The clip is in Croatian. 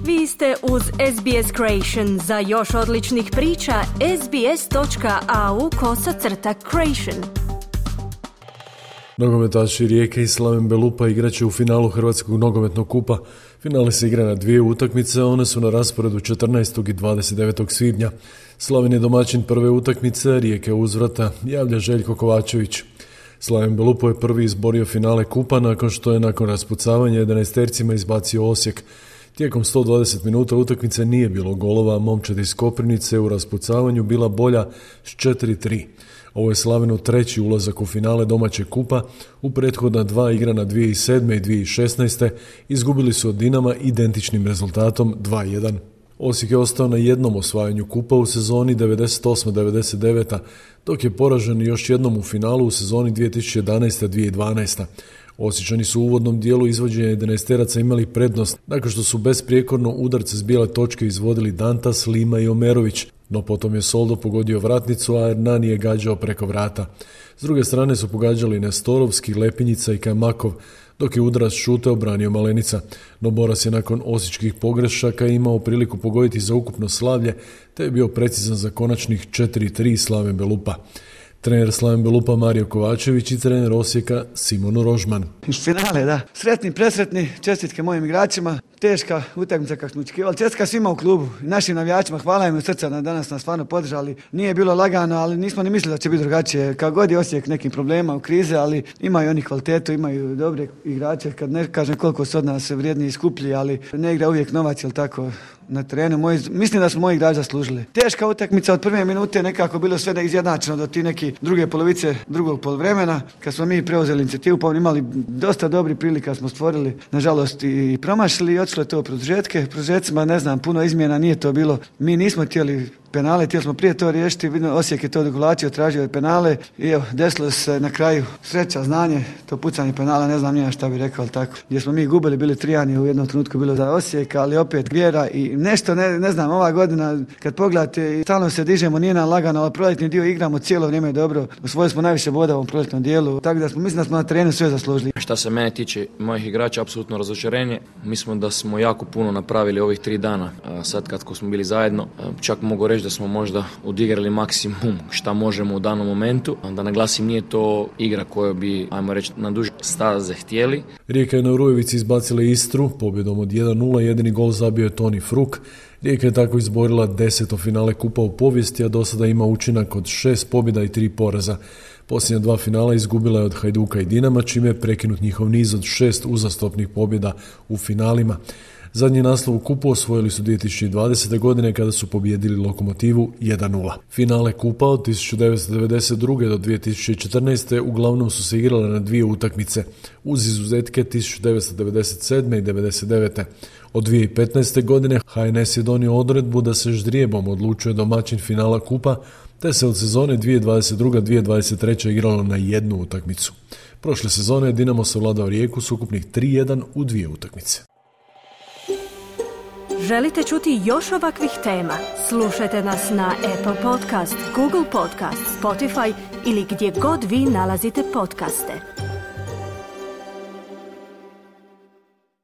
Vi ste uz SBS Creation. Za još odličnih priča, sbs.au/creation. Nogometaši Rijeke i Slaven Belupa igraće u finalu Hrvatskog nogometnog kupa. Finale se igra na dvije utakmice, one su na rasporedu 14. i 29. svibnja. Slaven je domaćin prve utakmice, Rijeke uzvrata, javlja Željko Kovačević. Slaven Belupo je prvi izborio finale kupa nakon što je nakon raspucavanja 11-tercima izbacio Osijek. Tijekom 120 minuta utakmice nije bilo golova, momčad iz Koprivnice u raspucavanju bila bolja s 4-3. Ovo je Slavenu treći ulazak u finale domaćeg kupa, u prethodna dva igrana 2007. i 2016. izgubili su od Dinama identičnim rezultatom 2-1. Osijek je ostao na jednom osvajanju kupa u sezoni 98-99, dok je poražen još jednom u finalu u sezoni 2011-2012. Osječani su u uvodnom dijelu izvođenja 11-teraca imali prednost, nakon što su besprijekorno udarce s bijele točke izvodili Dantas, Lima i Omerović, no potom je Soldo pogodio vratnicu, a Hernani je gađao preko vrata. S druge strane su pogađali Nestorovski, Lepinjica i Kamakov, dok je udarac šute obranio Malenica. No Boras je nakon osječkih pogrešaka imao priliku pogoditi za ukupno slavlje, te je bio precizan za konačnih 4-3 Slaven Belupa. Trener Slaven Belupa Mario Kovačević i trener Osijeka Simon Rožman. Finale, da. Sretni, presretni, čestitke mojim igračima. Teška utakmica kako smo očekivali. Čestitka svima u klubu, našim navijačima. Hvala im od srca na danas nas stvarno podržali. Nije bilo lagano, ali nismo ni mislili da će biti drugačije. Kako god je Osijek nekim problema u krize, ali imaju oni kvalitetu, imaju dobre igrače. Kad ne kažem koliko su od nas vrijedni i skuplji, ali ne igra uvijek novac, jel tako, na terenu. Mislim da smo moji igrači zaslužili. Teška utakmica od prve minute, nekako bilo sve da izjednačeno do ti neki druge polovice drugog poluvremena. Kad smo mi preuzeli inicijativu, pa imali dosta dobrih prilika smo stvorili, nažalost i promašili i otišlo je to produžetke. Produžetcima, ne znam, puno izmjena nije to bilo. Mi nismo htjeli penale, htjeli smo prije to riješiti, Osijek je to odugovlačio, tražio je penale i evo, desilo se na kraju sreća, znanje, to pucanje penala, ne znam nije šta bi rekao, ali tako. Gdje smo mi gubili, bili 3-1 u jednom trenutku bilo za Osijek, ali opet vjera i nešto, ne znam, ova godina kad pogledate, stalno se dižemo, nije nam lagano, ali proljetni dio igramo cijelo vrijeme dobro, osvojili smo najviše boda u ovom proljetnom dijelu, tako da mislim da smo na terenu sve zaslužili. Šta se mene tiče, mojih igrača, apsolutno razočarenje. Mislim da smo jako puno napravili ovih 3 dana, sad kad smo bili zajedno, čak mogu reći da smo možda odigrali maksimum šta možemo u danom momentu. Da naglasim, nije to igra koju bi, ajmo reći, na duže staze htjeli. Rijeka je na Urujevici izbacila Istru, pobjedom od 1-0, jedini gol zabio je Toni Fruk. Rijeka je tako izborila 10. finale kupa u povijesti, a do sada ima učinak od 6 pobjeda i 3 poraza. Posljednja 2 finala izgubila je od Hajduka i Dinama, čime je prekinut njihov niz od 6 uzastopnih pobjeda u finalima. Zadnji naslov u kupu osvojili su 2020. godine kada su pobijedili Lokomotivu 1-0. Finale kupa od 1992. do 2014. uglavnom su se igrale na dvije utakmice, uz izuzetke 1997. i 1999. Od 2015. godine HNS je donio odredbu da se ždrijebom odlučuje domaćin finala kupa, te se od sezone 2022-2023. igralo na jednu utakmicu. Prošle sezone Dinamo savladao Rijeku s ukupnih 3-1 u 2 utakmice. Želite čuti još ovakvih tema? Slušajte nas na Apple Podcast, Google Podcast, Spotify ili gdje god vi nalazite podcaste.